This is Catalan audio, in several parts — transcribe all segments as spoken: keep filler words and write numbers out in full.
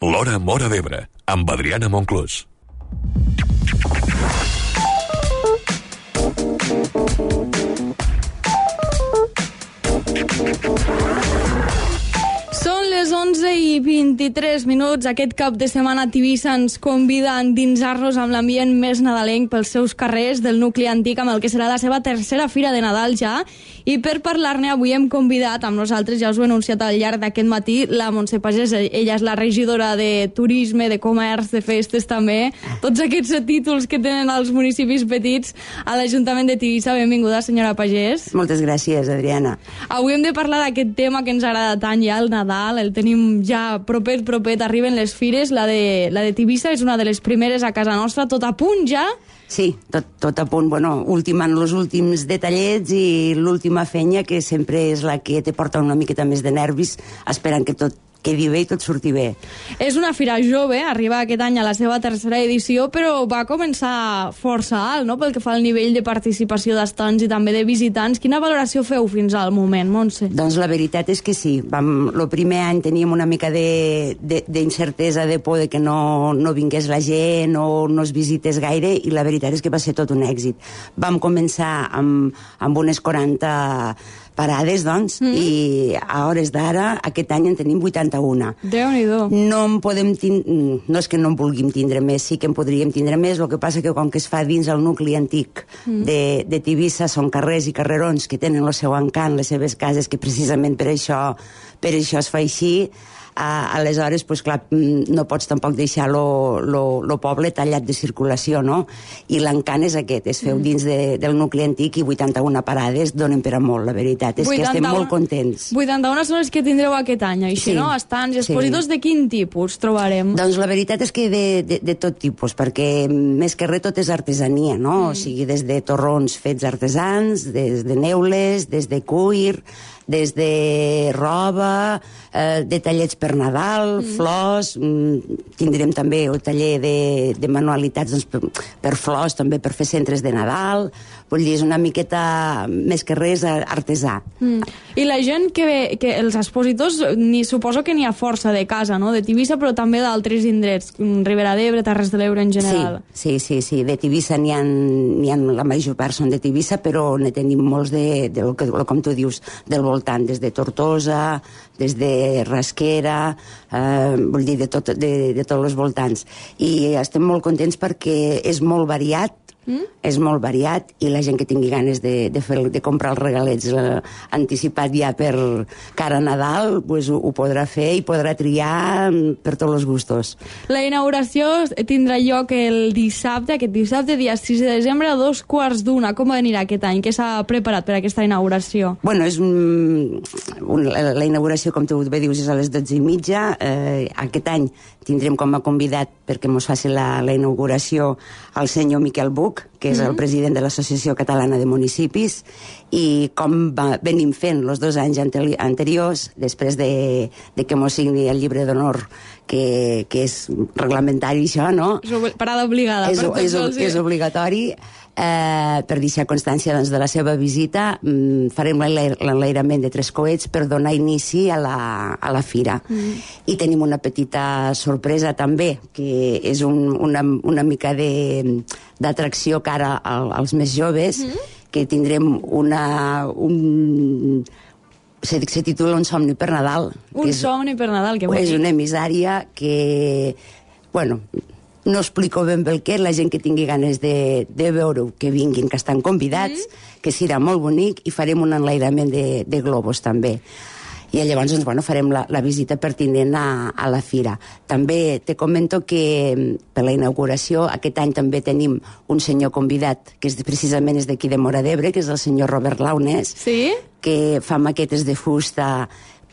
L'Hora Móra d'Ebre, amb Adriana Monclús. Són les onze i vint-i-tres minuts. Aquest cap de setmana Tivissa ens convida a endinsar-nos amb l'ambient més nadalenc pels seus carrers del nucli antic, amb el que serà la seva tercera fira de Nadal ja. I per parlar-ne avui hem convidat amb nosaltres, ja us ho he anunciat al llarg d'aquest matí, la Montse Pagès. Ella és la regidora de Turisme, de Comerç, de Festes també. Tots aquests títols que tenen els municipis petits a l'Ajuntament de Tivissa. Benvinguda, senyora Pagès. Moltes gràcies, Adriana. Avui hem de parlar d'aquest tema que ens agrada tant ja, el Nadal. El tenim ja propet, propet, arriben les fires. La de, la de Tivissa és una de les primeres a casa nostra, tot a punt ja. Sí, tot, tot a punt. Bueno, ultimant els últims detallets i l'última fenya, que sempre és la que te porta una miqueta més de nervis, esperant que tot quedi bé i tot surti bé. És una fira jove, arriba aquest any a la seva tercera edició, però va començar força alt, no?, pel que fa al nivell de participació d'estants i també de visitants. Quina valoració feu fins al moment, Montse? Doncs la veritat és que sí. Vam, el primer any teníem una mica d'incertesa, de, de, de por de que no, no vingués la gent o no es visités gaire, i la veritat és que va ser tot un èxit. Vam començar amb, amb unes quaranta parades, doncs, mm. i a hores d'ara, aquest any en tenim vuitanta-una. Déu-n'hi-do. No en podem tindre, no és que no en vulguim tindre més, sí que en podríem tindre més, el que passa que com que es fa dins el nucli antic mm. de, de Tivissa, són carrers i carrerons que tenen el seu encant, les seves cases, que precisament per això, per això es fa així. Uh, aleshores, pues, clar, no pots tampoc deixar lo, lo, lo poble tallat de circulació, no? I l'encant és aquest, es feu mm. dins de, del nucli antic, i vuitanta-una parades donen per a molt, la veritat. És que estem molt contents. vuitanta-una són les que tindreu aquest any, així, sí, no? Estants i expositors, sí. De quin tipus trobarem? Doncs la veritat és que de, de, de tot tipus, perquè més que res tot és artesania, no? Mm. O sigui, des de torrons fets artesans, des de neules, des de cuir, des de roba, eh, de tallets per Nadal, mm. flors, mm, tindrem també el taller de, de manualitats, doncs, per, per flors, també per fer centres de Nadal. Vull dir, és una miqueta, més que res, artesà. Mm. I la gent que ve, que els expositors, ni suposo que n'hi ha força de casa, no?, de Tivissa, però també d'altres indrets, Ribera d'Ebre, Terres de l'Ebre en general. Sí, sí, sí, sí. De Tivissa n'hi ha, n'hi ha, la major part són de Tivissa, però ne tenim molts de, de, de, com tu dius, del voltant, des de Tortosa, des de Rasquera, eh, vull dir, de, tot, de, de tots els voltants. I estem molt contents perquè és molt variat, mm? és molt variat, i la gent que tingui ganes de, de, fer, de comprar els regalets eh, anticipat ja per cara a Nadal, pues, ho, ho podrà fer i podrà triar per tots els gustos. La inauguració tindrà lloc el dissabte, aquest dissabte, dia sis de desembre, a dos quarts d'una. Com anirà aquest any? Què s'ha preparat per aquesta inauguració? Bueno, és un, un, la, la inauguració, com tu bé dius, és a les dotze i mitja. Eh, aquest any tindrem com a convidat, perquè mos faci la, la inauguració, el senyor Miquel Buch, que és mm-hmm. el president de l'Associació Catalana de Municipis, i com va, venim fent els dos anys anteriors, després de, de que mos signi el llibre d'honor, que, que és reglamentari això, no? És parada obligada. És, per és, és, és obligatori. Eh, per deixar constància, doncs, de la seva visita, mm, farem l'enlairament de tres coets per donar inici a la, a la fira. Mm. I tenim una petita sorpresa també, que és un, una, una mica d'atracció cara als més joves, mm. que tindrem una... un, Se, se titula Un somni per Nadal. Un és, somni per Nadal, que bonic. És una emissària que, bueno, no explico ben bé el que és, la gent que tingui ganes de, de veure-ho, que vinguin, que estan convidats, mm. que serà molt bonic, i farem un enlairament de, de globus també. I llavors, doncs, bueno, farem la, la visita pertinent a, a la fira. També te comento que per la inauguració aquest any també tenim un senyor convidat, que és precisament és d'aquí de Móra d'Ebre, que és el senyor Robert Launès, sí? que fa maquetes de fusta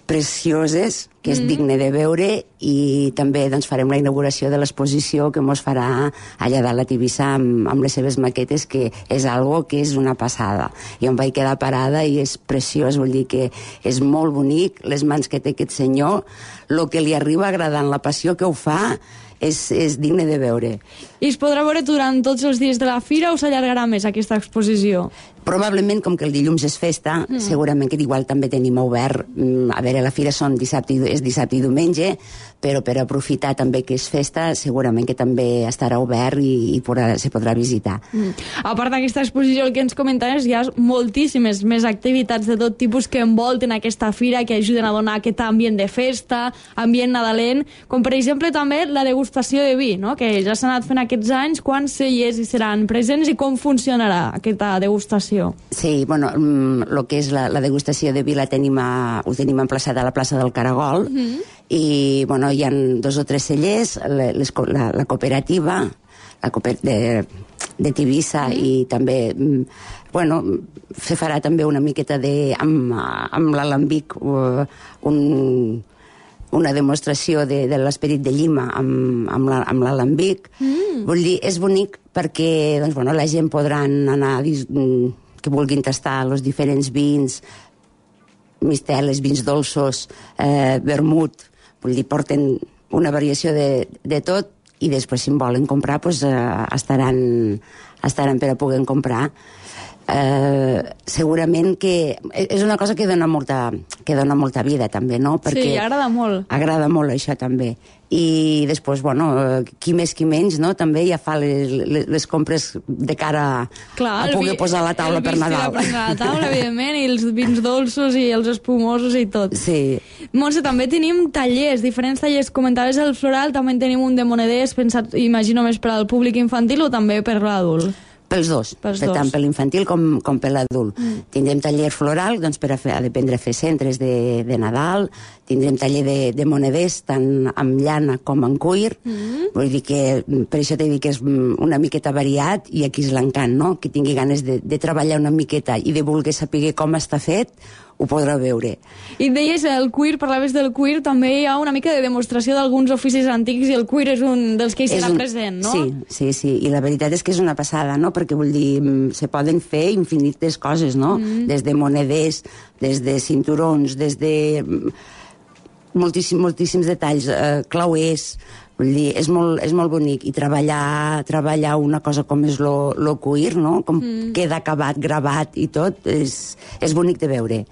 precioses, que és mm. digne de veure, i també, doncs, farem la inauguració de l'exposició que mos farà allà dalt a Tivissa amb, amb les seves maquetes, que és algo que és una passada. Jo em vaig quedar parada i és preciós, vull dir que és molt bonic, les mans que té aquest senyor, el que li arriba agradant, la passió que ho fa, és, és digne de veure. I es podrà veure durant tots els dies de la fira o s'allargarà més aquesta exposició? Probablement, com que el dilluns és festa, mm. segurament que igual també tenim obert. A veure, la fira són dissabte i, és dissabte i diumenge, però per aprofitar també que és festa, segurament que també estarà obert i, i podrà, se podrà visitar. Mm. A part d'aquesta exposició, el que ens comentaves, hi ha moltíssimes més activitats de tot tipus que envolten aquesta fira, que ajuden a donar aquest ambient de festa, ambient nadalenc, com per exemple també la degustació de vi, no? Que ja s'ha anat fent aquests anys. Quants cellers hi seran presents i com funcionarà aquesta degustació? Sí, bueno, el que és la, la degustació de vi la tenim a, ho tenim emplaçada a la plaça del Caragol, mm-hmm. i bueno, hi ha dos o tres cellers, les, la, la cooperativa la cooper de, de Tivissa, mm. i també bueno, se farà també una miqueta de, amb, amb l'alambic uh, un, una demostració de, de l'esperit de Llima amb, amb l'alambic. Mm. Vull dir, és bonic perquè doncs, bueno, la gent podrà anar que vulguin tastar els diferents vins, misteles, vins dolços, eh, vermut. Vull dir, porten una variació de, de tot, i després, si en volen comprar, doncs, eh, estaran, estaran per a poder comprar. Eh, segurament que és una cosa que dona molta, que dona molta vida, també, no? Perquè sí, agrada molt. Agrada molt, això, també. I després, bueno, qui més qui menys, no? També ja fa les, les, les compres de cara Clar, a poder vi, posar a la taula per Nadal. El a la taula, evidentment, i els vins dolços i els espumosos i tot. Sí. Montse, també tenim tallers, diferents tallers. Comentaves el floral, també tenim un de moneders, pensat, imagino, més per al públic infantil o també per l'adult? Pels dos, Pels per dos. tant per l'infantil com, com per l'adult. Mm. Tindrem taller floral, doncs, per a, fer, a aprendre a fer centres de, de Nadal, tindrem taller de, de moneders, tant amb llana com en cuir. Mm. Vull dir que, per això t'he dit que és una miqueta variat, i aquí és l'encant, no? Que tingui ganes de, de treballar una miqueta i de voler saber com està fet, ho podrà veure. I deies el cuir, parlaves del cuir, també hi ha una mica de demostració d'alguns oficis antics, i el cuir és un dels que hi serà un... present, no? Sí, sí, sí, i la veritat és que és una passada, no? Perquè, vull dir, se poden fer infinites coses, no? Mm. Des de moneders, des de cinturons, des de moltíssim, moltíssims detalls, eh, clauers. Vull dir, és molt, és molt bonic, i treballar, treballar una cosa com és lo, lo cuir, no? Com mm. queda acabat, gravat i tot, és, és bonic de veure.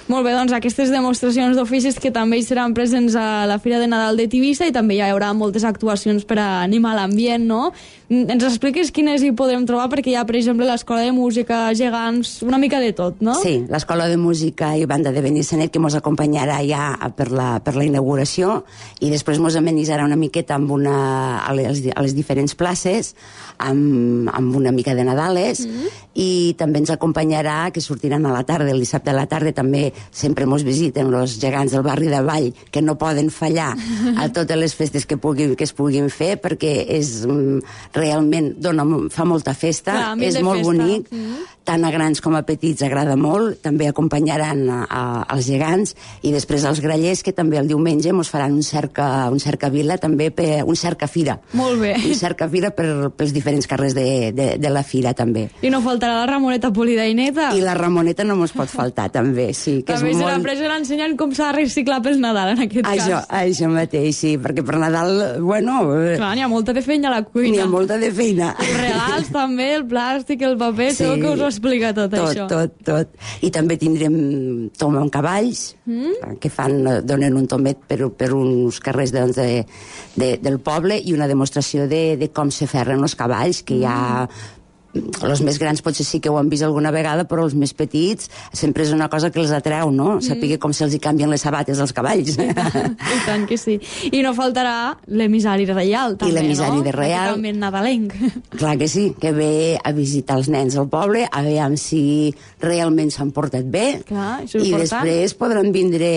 Molt bé, doncs aquestes demostracions d'oficis que també hi seran presents a la Fira de Nadal de Tivissa, i també hi haurà moltes actuacions per a animar l'ambient, no? Ens expliques quines hi podrem trobar, perquè hi ha, per exemple, l'Escola de Música, gegants, una mica de tot, no? Sí, l'Escola de Música i Banda de Benissanet, que mos acompanyarà ja per la, per la inauguració, i després mos amenitzarà una miqueta amb una, a, les, a les diferents places, amb, amb una mica de Nadales, mm-hmm. i també ens acompanyarà, que sortiran a la tarda, el dissabte a la tarda, també sempre mos visiten els gegants del barri de Vall, que no poden fallar a totes les festes que, puguin, que es puguin fer, perquè és realment dona, fa molta festa. Clar, és molt festa. Bonic, mm-hmm. tant a grans com a petits agrada molt. També acompanyaran a, a, als gegants, i després els grallers, que també el diumenge mos faran un cerca, un cercavila, també per, un cercafira. Molt bé. Un cercafira per, pels diferents carrers de, de, de la fira, també. I no faltarà la Ramoneta polida i neta. I la Ramoneta no mos pot faltar, també, sí. Que també és serà molt... present ensenyant com s'ha de reciclar pels Nadal, en aquest això, cas. Això mateix, sí, perquè per Nadal, bueno... Clar, n'hi ha molta de feina a la cuina. N'hi ha molta de feina. Els regals, també, el plàstic, el paper, sí, segur que us ho explica tot, tot això. Tot, tot, tot. I també tindrem tom amb cavalls, mm? que fan, donen un tomet per, per uns carrers doncs, de, de, del poble, i una demostració de, de com se ferren els cavalls, que hi ha... Els més grans potser sí que ho han vist alguna vegada, però els més petits sempre és una cosa que els atreu, no? Mm. Saber com se'ls hi canvien les sabates als cavalls. I tant, i tant que sí. I no faltarà l'emissari reial, també, I l'emissari no? de reial. També nadalenc. Clar que sí, que ve a visitar els nens al poble, a veure si realment s'han portat bé. Clar, això és i important. Després podran vindre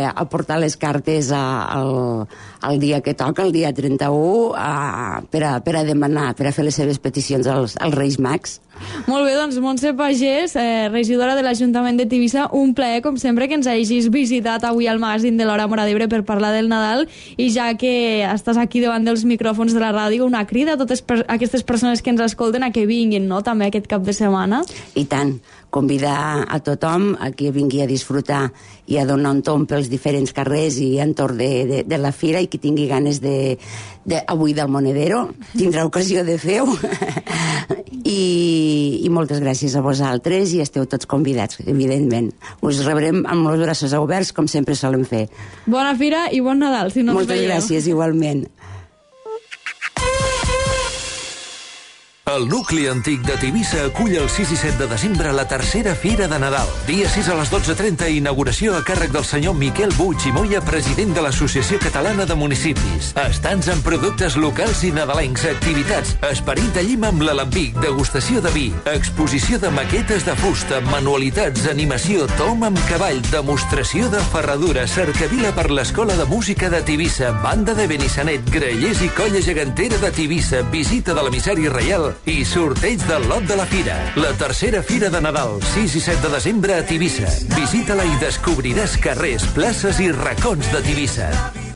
a portar les cartes a, al, al dia que toca, el dia trenta-u, a, per, a, per a demanar, per a fer les seves peticions als, als Reis Mags. Molt bé, doncs Montse Pagès, eh, regidora de l'Ajuntament de Tivissa, un plaer, com sempre, que ens hagis visitat avui al magazín de l'Hora Móra d'Ebre per parlar del Nadal, i ja que estàs aquí davant dels micròfons de la ràdio, una crida a totes per aquestes persones que ens escolten a que vinguin, no?, també aquest cap de setmana. I tant, convidar a tothom a que vingui a disfrutar i a donar un tomb pels diferents carrers i entorn de, de, de la fira, i qui tingui ganes de, de avui del Monedero tindrà ocasió de fer-ho. I i, i moltes gràcies a vosaltres i esteu tots convidats, evidentment. Us rebrem amb els braços oberts, com sempre solem fer. Bona fira i bon Nadal, si no ens moltes veieu. Gràcies, igualment. El nucli antic de Tivissa acull el sis i set de desembre la tercera Fira de Nadal. Dia sis a les dotze trenta, inauguració a càrrec del senyor Miquel Puig i Moya, president de l'Associació Catalana de Municipis. Estants amb productes locals i nadalencs, activitats, esperit de llim amb l'Alambic, degustació de vi, exposició de maquetes de fusta, manualitats, animació, tom amb cavall, demostració de ferradura, cercavila per l'Escola de Música de Tivissa, banda de Benissanet, grallers i colla gegantera de Tivissa, visita de l'emissari reial i sorteig del lot de la fira. La tercera Fira de Nadal, sis i set de desembre a Tivissa. Visita-la i descobriràs carrers, places i racons de Tivissa.